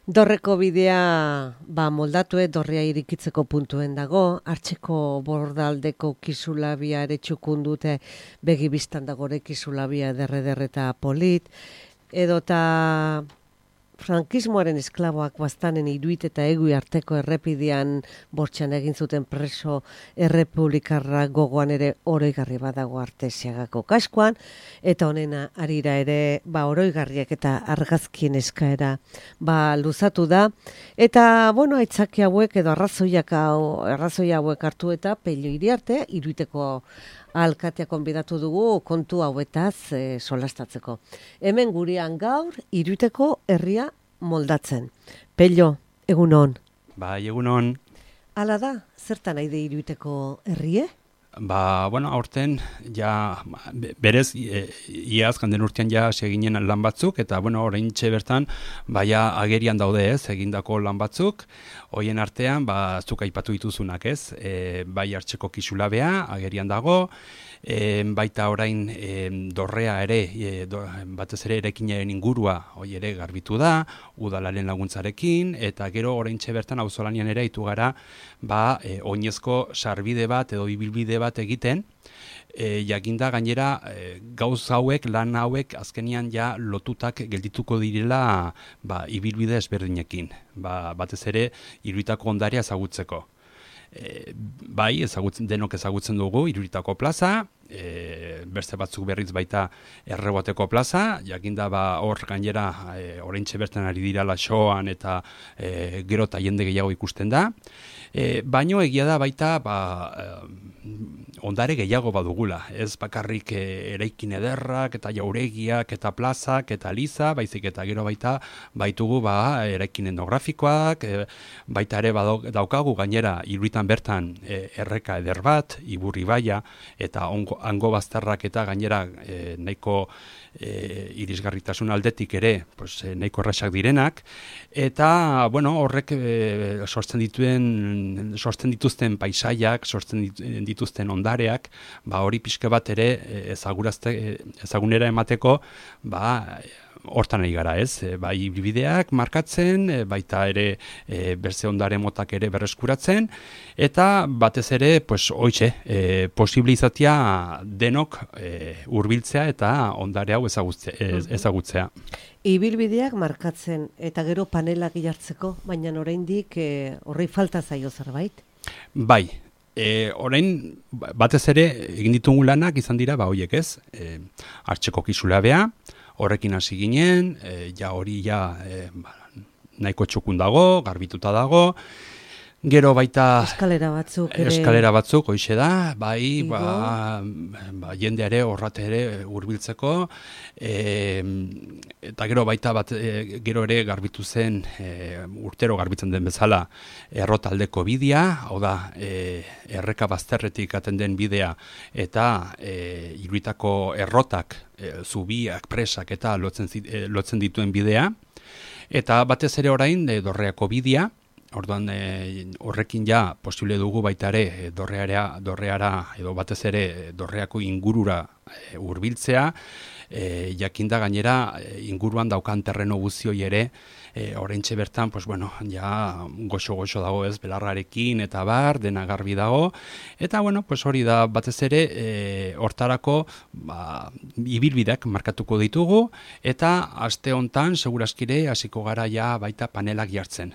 Dorreko bidea moldatu dorrea irikitzeko puntuen dago, hartzeko bordaldeko kisulabia ere txukun dute begi biztan dagore kisulabia derre eta polit, edota frankismoaren esklaboak bastanen Iruit eta Egui arteko errepidean bortxan egin zuten preso errepublikarra gogoan ere oroigarri badago Artesiagako kaskoan, eta honena harira ere oroigarriak eta argazkien eskaera luzatu da, eta aitzaki hauek edo arrazoi hauek hartu eta Pello Iriarte, Iruiteko alkatea konbidatu dugu kontu hauetaz solastatzeko. Hemen gurean gaur Iruiteko herria moldatzen. Pello, egunon. Bai, egunon. Hala da, zertan nahi de Iruiteko herrie? Aurten, berez, iaz, ganden urtean seginen lan batzuk, eta, oraintxe bertan, agerian daude ez, egindako lan batzuk, hoien artean, zuk aipatu dituzunak ez, bai hartzeko kisulabea, agerian dago, baita orain dorrea ere, batez ere erekinaren ingurua, hoi ere garbitu da, udalaren laguntzarekin, eta gero oraintxe bertan auzolanian ere itu gara, oinezko sarbide bat edo ibilbide bat egiten, jakinda gainera gauz hauek, lan hauek azkenian lotutak geldituko direla ibilbide ezberdinekin, batez ere Iruitako ondarea ezagutzeko. Denok ezagutzen dugu Iruitako plaza, beste batzuk berriz baita Erreboteko plaza, jakinda hor gainera oraintxe bertan ari dira lasoan eta gero eta jende gehiago ikusten da, baino egia da baita ondare gehiago badugula, ez bakarrik eraikin ederrak eta jauregiak eta plazak eta liza, baizik eta gero baita baitugu eraikin etnografikoak, baita ere daukagu gainera Iruitan bertan erreka eder bat, Iburri baia eta hango bazterrak eta gainera nahiko irisgarritasun aldetik ere nahiko errasak direnak, eta horrek sortzen dituzten paisaiak, sortzen dituzten ondareak, hori pixka bat ere ezagunera emateko, hortan ari gara ez, ibilbideak markatzen, baita ere berze ondare motak ere berreskuratzen, eta batez ere, posible izatea denok hurbiltzea eta ondare hau ezagutzea. Ibilbideak markatzen eta gero panelak jartzeko, baina oraindik horri falta zaio zerbait? Bai, orain batez ere egin ditugu lanak izan dira hoiek ez, hartzeko kisulabea, horrekin hasi ginen, hori nahiko txukun dago, garbituta dago, gero baita eskalera batzuk hoixe da, jende ere horrat ere hurbiltzeko, eta gero baita gero ere garbitu zen, urtero garbitzen den bezala, errotaldeko bidea, hau da, erreka bazterretik aten den bidea, eta Iruitako errotak, zubiak, presak eta lotzen dituen bidea, eta batez ere orain dorreako bidea, orduan horrekin posible dugu baita ere dorreara edo batez ere dorreako ingurura hurbiltzea, jakinda gainera inguruan daukan terreno guzioi ere oraintxe bertan goxo dago ez, belarrarekin eta dena garbi dago, eta hori da batez ere hortarako ibilbideak markatuko ditugu, eta aste hontan seguraskire hasiko gara baita panelak jartzen.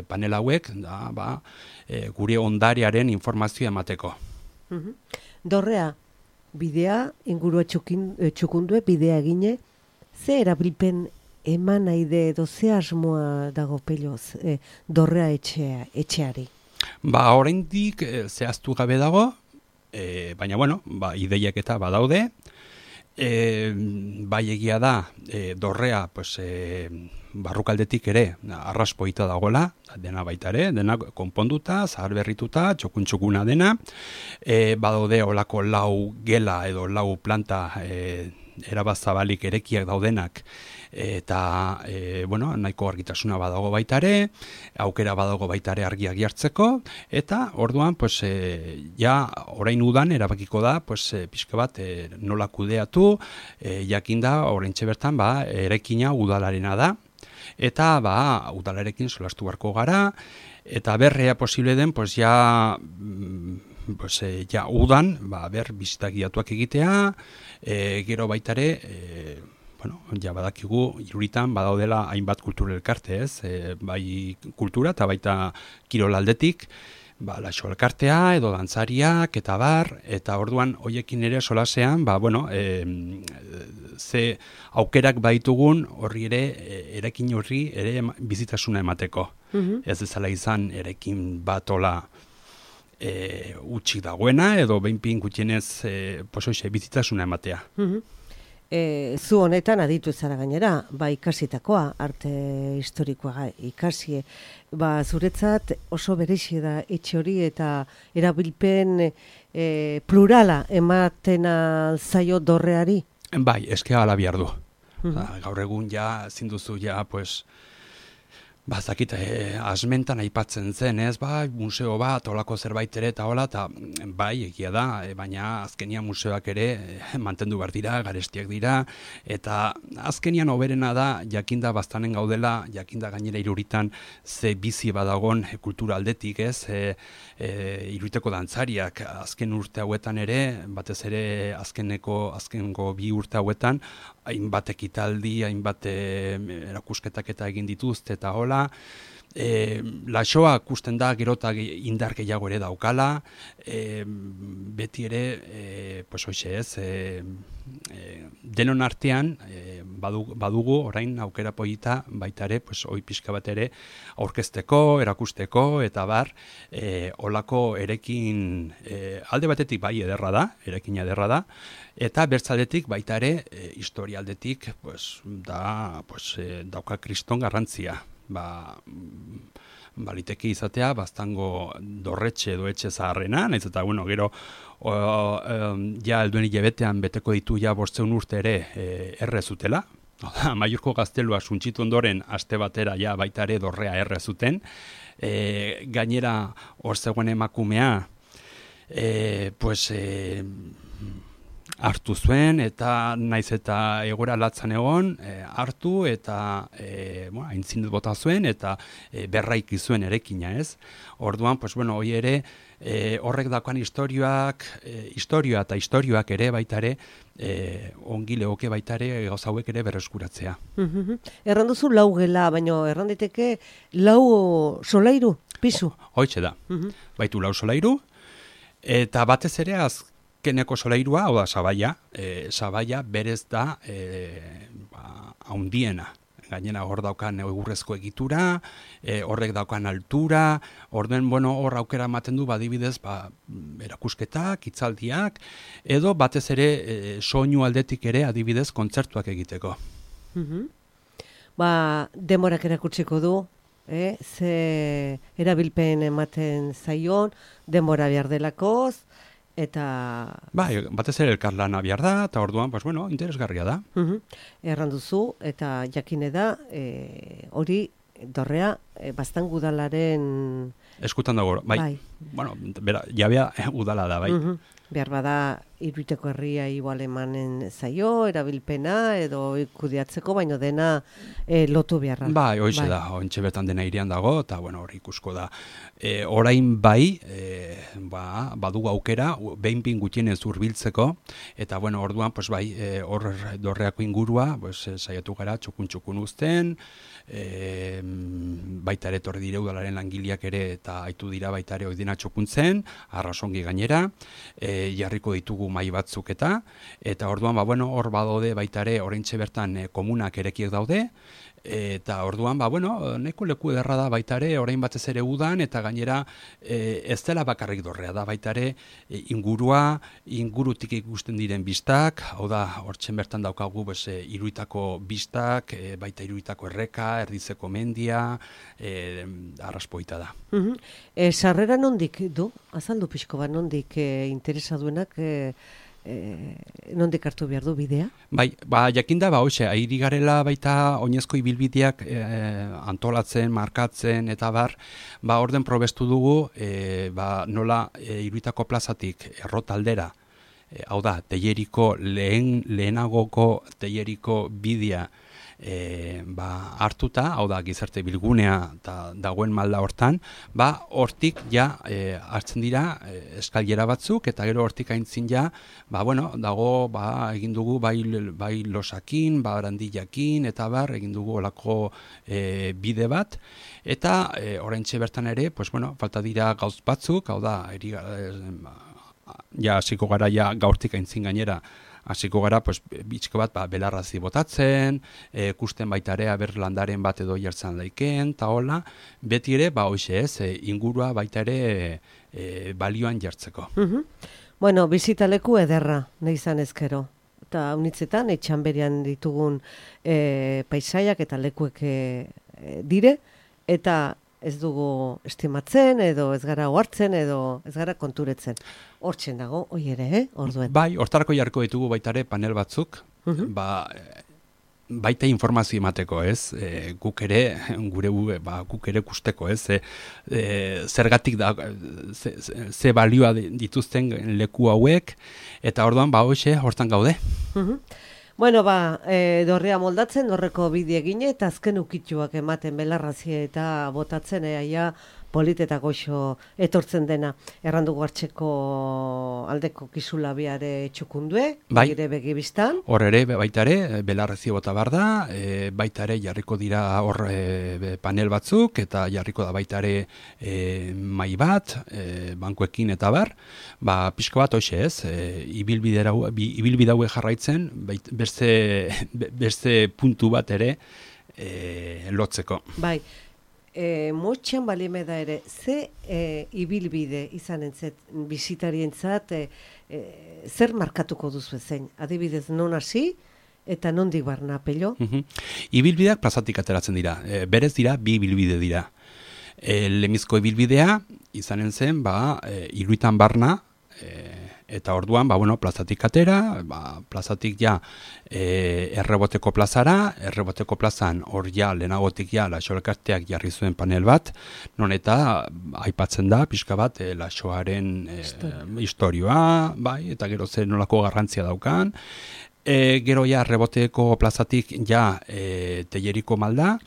Panel hauek gure ondarearen informazioa emateko. Dorrea, bidea, ingurua txukundue, bidea egine, ze erabilpen eman nahi de edo ze asmoa dago Pelloz dorrea etxeari? Oraindik zehaztu gabe dago, baina ideiak eta badaude, egia da dorrea barrukaldetik ere arraspoita dagoela, dena baita ere, dena konponduta, zahar berrituta, txukun-txukuna dena, badaude olako lau gela edo lau planta erabazabalik erekiak daudenak, eta nahiko argitasuna badago baita ere, aukera badago baita ere argiak jartzeko, eta orduan orain udan erabakiko da pixka bat nola kudeatu, jakinda oraintxe bertan eraikina udalarena da, Eta udalarekin solastu beharko gara, eta berrea posible den, pues ja udan, bizitak guiatuak egitea, gero baitare, ja badakigu Iruritan badaudela hainbat kultura elkarte, ez? Bai kultura eta baita kirol aldetik, laxo elkartea edo dantzariak eta eta orduan hoiekin ere solasean, ze aukerak baitugun horri ere, erekin horri ere bizitasuna emateko. Ez dezala izan erekin batola utxik dagoena edo behinpin gutienez bizitasuna ematea. Zu honetan aditu zara gainera, ikasitakoa, arte historikoa ikasi, zuretzat oso berexi da etxe hori eta erabilpen plurala ematen zaio dorreari? Bai, eskea ala behar du. Gaur egun zinduzu zakit, asmentan aipatzen zen, ez, museo bat, olako zerbait ere eta hola, eta bai, egia da, baina azkenian museoak ere mantendu behar dira, garestiak dira, eta azkenian hoberena da, jakinda bastanen gaudela, jakinda gainera Iruritan ze bizi badagon kultura aldetik, ez, Iruriteko dantzariak azken urte hauetan ere, batez ere azkengo 2 urte hauetan, hainbat ekitaldi, hainbat erakusketak eta egin dituzte eta hola. Laxoa ikusten da gero eta indar gehiago ere daukala, beti ere, denon artean badugu orain aukera polita baita ere, hoi pixka bat ere aurkezteko, erakusteko eta olako erekin alde batetik bai ederra da, erekina ederra da, eta bertzaldetik baita ere historialdetik dauka kriston garrantzia. Baliteke izatea, baztango dorretxe edo etxe zaharrena, nahiz eta, gero, helduen hilabetean beteko ditu 500 urte ere errezutela. Maiorko gaztelua suntxitu ondoren aste batera baita ere dorrea errezuten. Gainera, hor zegoen emakumea, hartu zuen, eta naiz eta egoera latzan egon, hartu eta aintzindet bota zuen, eta berraiki zuen erekina, ez? Orduan, hoi ere, horrek dakoan historioa eta historioak ere baita ere, ongi legoke baita ere gauza hauek ere berreskuratzea. Erranduzu 4 gela, baina erranditeke 4 solairu, pisu? Hoitxe da, baitu 4 solairu, eta batez ere azkeneko solairua, hau da, sabaia berez da haundiena. Gainera hor daukan egurrezko egitura, horrek daukan altura, orduen, hor aukera ematen du, adibidez, erakusketak, hitzaldiak, edo batez ere soinu aldetik ere adibidez kontzertuak egiteko. Demorak erakutsiko du, ze erabilpen ematen zaion, demora behar delakoz, eta... batez ere elkarlana behar da, eta orduan, interesgarria da. Erranduzu, eta jakine da, hori dorrea, bastan udalaren... Eskutan dago, bai. Jabea udala da, bai. Behar bada, Iruiteko herria igual emanen zaio, erabilpena, edo kudeatzeko, baino dena lotu beharra. Hoize da, ontxe bertan dena irian dago, eta hori ikusko da. Orain bai, badugu aukera, behinpin gutienez hurbiltzeko, eta orduan, hor dorreako ingurua, saiatu gara txukun uzten, baita ere torri dire udalaren langileak ere, eta aitu dira baita ere oidena txukuntzen, arrasongi gainera, jarriko ditugu mai batzuk eta orduan, hor badaude baita ere oraintxe bertan komunak erekiek daude, eta orduan, neko leku ederra da baita ere, orain batez ere udan, eta gainera ez dela bakarrik dorrea da baita ere ingurutik ikusten diren bistak, hau da, hortzen bertan daukagu Iruitako bistak, baita Iruitako erreka, Erdizeko mendia, arraspoita da. Sarrera nondik du? Azaldu pixko bat, nondik interesaduenak nondik hartu behar du bidea? Jakinda, airi garela baita oinezko ibilbideak antolatzen, markatzen, eta orden probestu dugu, nola Iruitako plazatik errotaldera, hau da, Telleriko lehenagoko Telleriko bidea hartuta, hau da gizarte bilgunea eta dagoen malda hortan, hortik ja hartzen dira eskailera batzuk, eta gero hortik aintzin ja, dago egin dugu bai losakin, barandillakin, eta egin dugu olako bide bat, eta oraintxe bertan ere, falta dira gauz batzuk, hau da, hasiko gara gaurtik aintzin gainera, hasiko gara, bitxko bat belarrazi botatzen, kusten baita ere aber landaren bat edo jartzen laiken, eta hola, beti ere, ingurua baita ere balioan jartzeko. Bueno, bizitaleku ederra, nahi izan ezkero. Eta unitzetan, etxan berean ditugun paisaiak eta lekuek dire, eta ez dugu estimatzen, edo ez gara ohartzen, edo ez gara konturetzen. Hortzen dago, hoi ere, orduen. Bai, hortarako jarko ditugu baitare panel batzuk, baita informazio emateko, ez? Guk ere, guk ere kusteko, ez? Zergatik da, ze balioa dituzten leku hauek, eta orduan, hortan gaude. Bueno, dorrea moldatzen, horreko bide egine, eta azken ukituak ematen belarrazi eta botatzen, polit eta goxo etortzen dena. Errandugu hartzeko aldeko kisulabiare txukundue, gire begibistan. Hor ere, baita ere, belarrazi bota behar da, baita ere jarriko dira hor panel batzuk, eta jarriko da baita ere mai bat, bankuekin eta bar, pixko bat hoxe ez, ibilbide haue jarraitzen, beste puntu bat ere lotzeko. Bai. Motxan balime da ere, ze ibilbide izan entzet bizitarientzat zer markatuko duzu ezein? Adibidez, non hasi eta nondik barna pello? Ibilbideak plazatik ateratzen dira, berez dira, bi ibilbide dira. Lemizko ibilbidea izanen zen, Iruitan barna, eta orduan, plazatik atera, plazatik Erreboteko plazara, Erreboteko plazan hor lehenagotik Laxo-Elkarteak jarri zuen panel bat, non eta aipatzen da, pixka bat, Laxoaren historioa, eta gero zer nolako garrantzia daukan, gero Erreboteko plazatik Telleriko malda,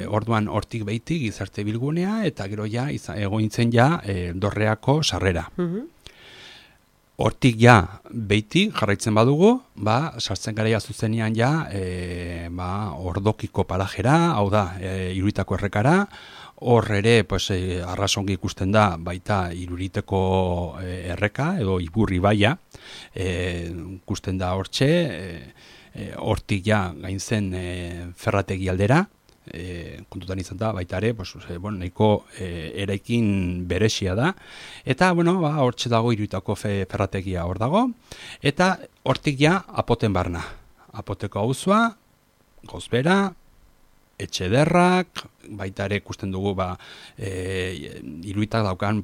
orduan hortik behitik gizarte bilgunea, eta gero egointzen Dorreako sarrera. Hortik behitik jarraitzen badugu, sartzen gara zuzenean Ordokiko palajera, hau da, Iruitako errekara, hor ere arrasongi ikusten da baita Iruiteko erreka, edo Iburri baia, ikusten da hortxe, hortik gain zen ferrategi aldera, kontutan izan da, baita ere, nahiko eraikin beresia da, eta, hortxe dago Iruitako ferrategia hor dago, eta hortik apoten barna. Apoteko auzua, Gozbera, Etxederrak, baita ere ikusten dugu, Iruitak daukan,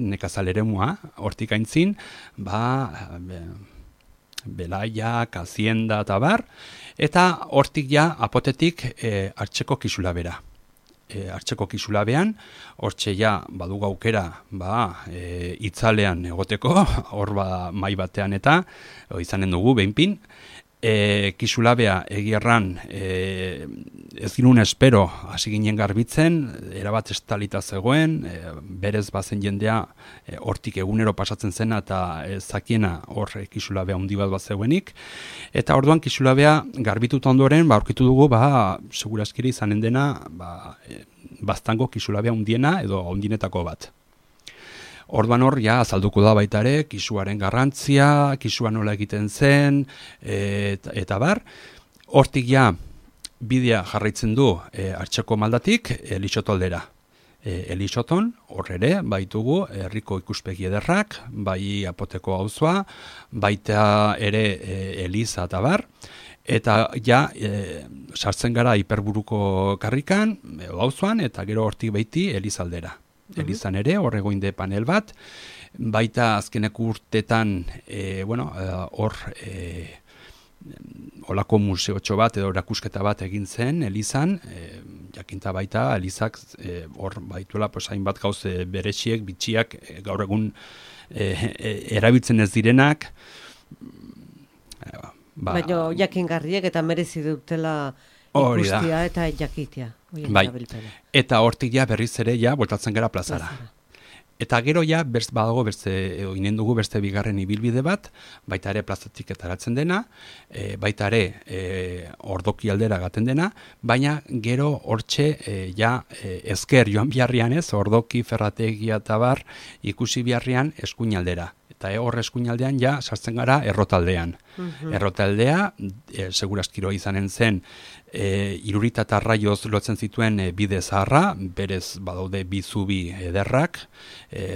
nekazal eremua, hortik aintzin, Belaiak, Hazienda eta bar, eta hortik apotetik hartzeko kisulabera. Hartzeko kisulabean, hortxe badugu aukera itzalean egoteko, hor mai batean eta izanen dugu behinpin, kisulabea egierran ez ginuen espero hasi ginen garbitzen, erabat estalita zegoen, berez bazen jendea hortik egunero pasatzen zena eta zakiena hor kisulabea handi bat zegoenik, eta orduan kisulabea garbituta ondoren aurkitu dugu segurazkiri izanen dena baztango kisulabea handiena edo handinetako bat. Orduan hor, azalduko da baita ere, kisuaren garrantzia, kisua nola egiten zen, eta bar. Hortik bidea jarraitzen du hartzeko maldatik Elixoto aldera. Elixoton, hor ere, baitugu herriko ikuspegi ederrak, bai apoteko auzoa, baita ere Eliza eta bar. Eta sartzen gara hiperburuko karrikan, auzoan, eta gero hortik baiti Eliza aldera. Elizan ere, hor egoinde panel bat, baita azkeneko urtetan, hor olako museotxo bat edo erakusketa bat egin zen Elizan, jakinta baita Elizak hor baituela hainbat gauz bereziek, bitxiak, gaur egun erabiltzen ez direnak, Baina jakingarriek eta merezi dutela ikustia eta jakitea. Bai. Eta hortik ja berriz ere ja voltatzen gara plazara. Eta gero ja badago inen dugu beste bigarren ibilbide bat, baita ere plazatik etaratzen dena, baita ere ordoki aldera gaten dena, baina gero hortxe ezker joan biharrian ordoki, ferrategia eta bar ikusi biharrian eskuin aldera. Eta hor eskuinaldean ja sartzen gara errotaldean. Errotaldea, segurazkiro izanen zen, Irurita eta Arraioz lotzen zituen bide zaharra, berez badaude bi zubi ederrak,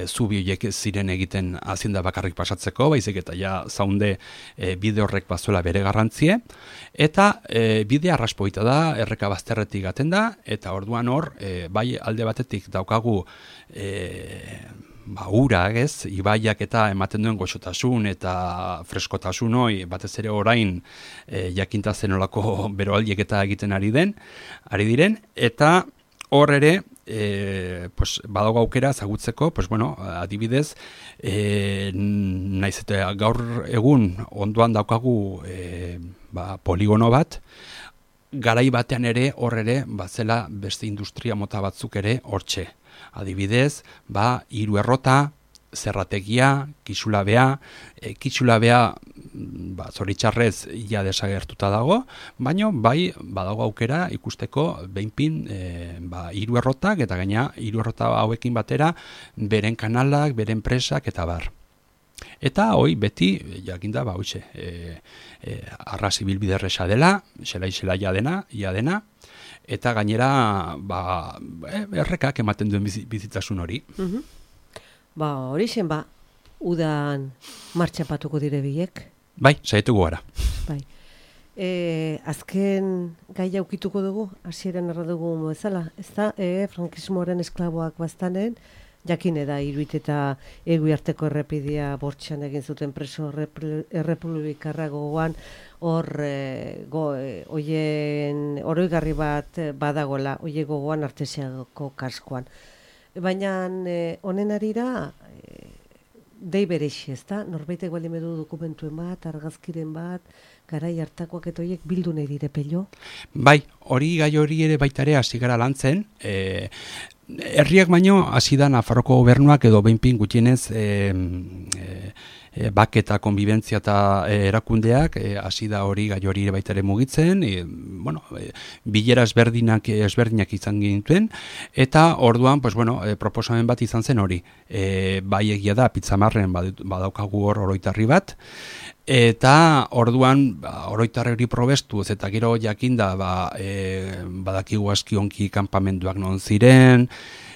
zubi horiek ziren egiten hazienda bakarrik pasatzeko, baizik eta ja zaunde bide horrek bazuela bere garrantzie, eta bide arraspoita da, erreka bazterretik gaten da, eta orduan hor, bai alde batetik daukagu ura, ibaiak eta ematen duen goxotasun eta freskotasun hoi, batez ere orain jakinta zenolako beroaldiek eta egiten ari diren, eta hor ere, badago aukera zagutzeko, adibidez, naiz eta gaur egun ondoan daukagu poligono bat, garai batean ere hor ere, zela beste industria mota batzuk ere hortxe. Adibidez, hiru errota, zerrategia, kitxulabea, zoritxarrez ja desagertuta dago, baina bai badago aukera ikusteko behinpin hiru errotak eta gaina hiru errota hauekin batera beren kanalak, beren presak eta bar. Eta hoi beti jakinda arras ibilbide erresa dela, xela ia dena, eta gainera errekak ematen duen bizitasun hori. Hori zen, udan martxapatuko dire biek? Bai, saietuko gara. Bai. Azken gai aukituko dugu, hasieran erra dugu bezala, ez da, frankismoaren esklaboak bastanen, jakine da, Iruit eta Eguiarteko errepidea bortxan egin zuten preso errepublikarra gogoan, hor oroigarri bat badagola, oie gogoan Artesiako kaskoan. Baina honen arira, dei berexi, ez da? Norbaitek baldin edu dokumentuen bat, argazkiren bat, garai hartakoak eta horiek bildu nahi dire pello? Bai, gai hori ere baitare hasi gara lantzen, herriak baino hasi da Nafarroko gobernuak edo behinpin gutienez bak eta konbibentzia eta erakundeak hasi da gai hori ere baita ere mugitzen, bilera ezberdinak izan gintuen, eta orduan proposamen bat izan zen hori. Bai egia da, Pitzamarren badaukagu hor oroitarri bat, eta orduan oroitarri probestuz eta gero jakinda badakigu aski onki kanpamenduak non ziren,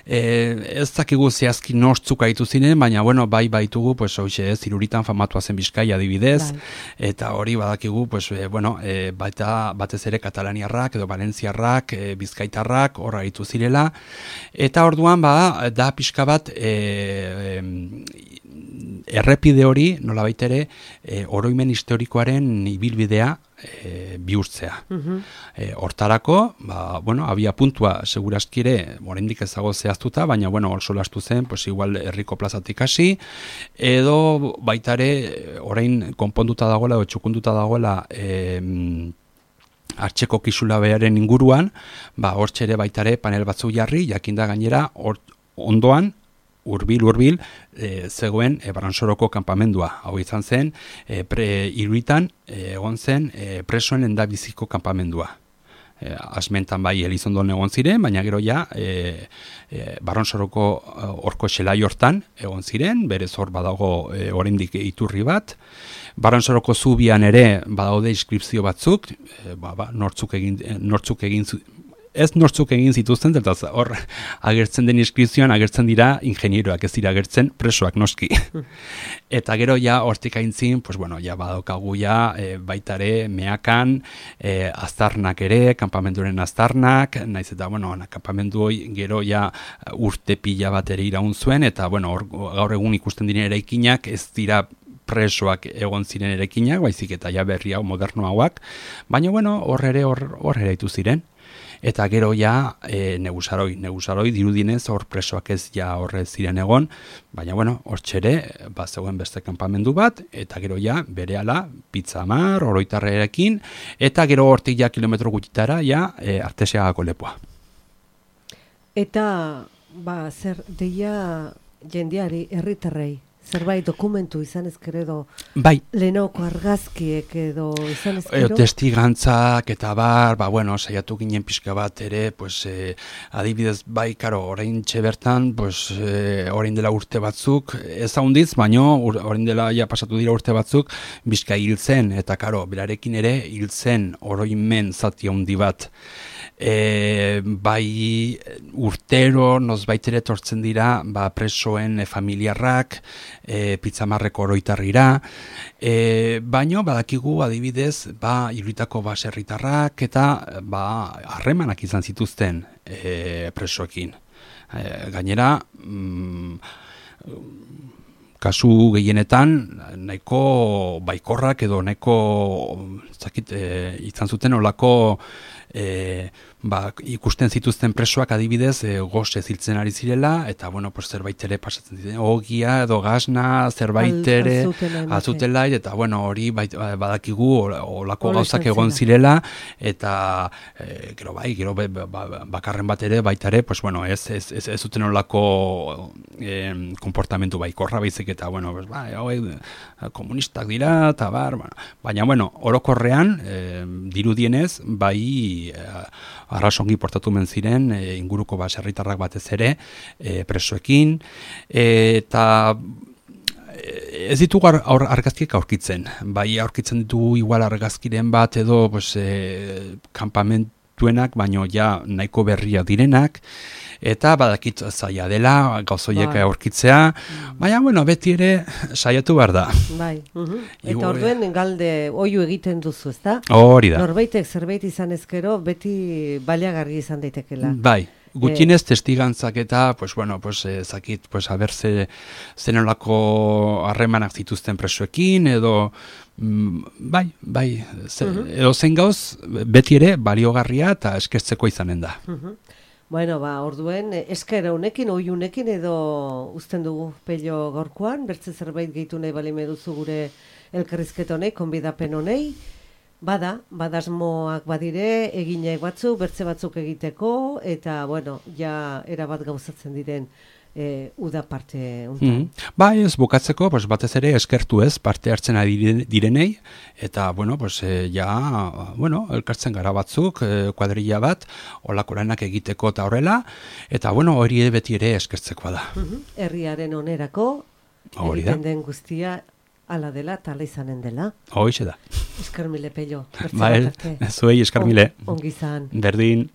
ez dakigu zehazki nortzuk aitu ziren, baina bai baitugu Iruritan famatua zen Bizkaia adibidez, eta hori badakigu batez ere katalaniarrak edo valentziarrak, bizkaitarrak horra aitu zirela, eta orduan da pixka bat errepide hori nolabait ere oroimen historikoaren ibilbidea bihurtzea. Hortarako, abia puntua segurazki ere, oraindik ez dago zehaztuta, baina hor solastu zen, igual herriko plazatik hasi, edo baita ere orain konponduta dagoela edo txukunduta dagoela Artxeko Kixulabearen inguruan, hortxe ere baita ere panel batzuk jarri, jakinda gainera ondoan hurbil zegoen Baransoroko kanpamendua. Hau izan zen, Iruritan egon zen presoen endabiziko kanpamendua. Asmentan Elizondon egon ziren, baina gero Baransoroko horko xelai hortan egon ziren, berez hor badago oraindik iturri bat. Baransoroko zubian ere badaude inskripzio batzuk, nortzuk egin zituzten, eta hor agertzen den inskripzioan agertzen dira ingenieroak, ez dira agertzen presoak noski. Eta gero hortik aintzin, badaukagu baitare meakan, aztarnak ere, kanpamenduren aztarnak, naiz eta kanpamendu hori gero urte pila bat ere iraun zuen, eta gaur egun ikusten diren eraikinak ez dira presoak egon ziren eraikinak, baizik eta berri hau moderno hauak, baina hor ere aitu ziren. eta gero ja negusaroi dirudinez hor presoak ez ja horre ziren egon, baina bueno, hortxere zegoen beste kanpamendu bat, eta gero ja berehala Pitzamar, Oroitarrerekin, eta gero hortik ja kilometro gutxitara ja Artesiagako lepoa. Eta zer deia jendeari, herritarrei, zerbait dokumentu izan ezkero bai. Lehenoko argazkiek edo izan ezkero? Testigantzak eta bar, bueno, saiatu ginen pixka bat ere, adibidez, bai, karo, orain bertan, orain dela urte batzuk, ez haundiz, baino, orain dela ja pasatu dira urte batzuk, bizka hil zen, eta karo, berarekin ere hil zen oroimen zati handi bat. Bai urtero nozbaitere tortzen dira presoen familiarrak Pitzamarreko Oroitarrira, baino badakigu adibidez Iruitako baserritarrak eta harremanak izan zituzten presoekin. Gainera kasu gehienetan nahiko baikorrak edo nahiko izan zuten olako ikusten zituzten presoak adibidez goz eziltzen ari zirela, eta zerbait ere pasatzen ziren, ogia edo gasna, zerbait ere azutela, eta hori badakigu olako gauzak egon zirela, eta gero bakarren bat ere baita ere, ez zuten olako konportamentu baikorra baizik, eta komunistak dira, eta baina orokorrean dirudienez arrasongi portatu men ziren inguruko baserritarrak batez ere presoekin, eta ez ditugu argazkiek aurkitzen. Bai aurkitzen ditugu igual argazkiren bat edo kanpamentuenak, baino ja nahiko berria direnak, eta badakit zaila dela gauzoiek aurkitzea, baina beti ere saiatu behar da. Bai, eta orduen galde oiu egiten duzu, ezta? Hori da. Norbaitek zerbait izan ezkero beti baliagarri izan daitekela. Bai. Gutxinez testigantzak eta, zakit, haber zenolako harremanak zituzten presoekin, edo, edo zen gauz, beti ere baliogarria eta eskertzeko izanen da. Bueno, orduen, esker honekin, oiunekin edo uzten dugu Pello gaurkoan, bertze zerbait gehitu nahi bali meduzu gure elkarrizket honei, konbidapen honei, badasmoak badire, eginak batzu, bertze batzuk egiteko, eta, ja erabat gauzatzen diren uda parte untan. Ez bukatzeko, batez ere eskertu ez parte hartzen ari direnei, eta, elkartzen gara batzuk, kuadrilla bat, olakoranak egiteko eta horrela, eta, hori beti ere eskertzekoa da. Herriaren onerako, egiten den guztia, ala dela, eta ala izanen dela. Hoize da. Esker mile, Pello. Zuei, esker mile. Ongi zan. Berdin.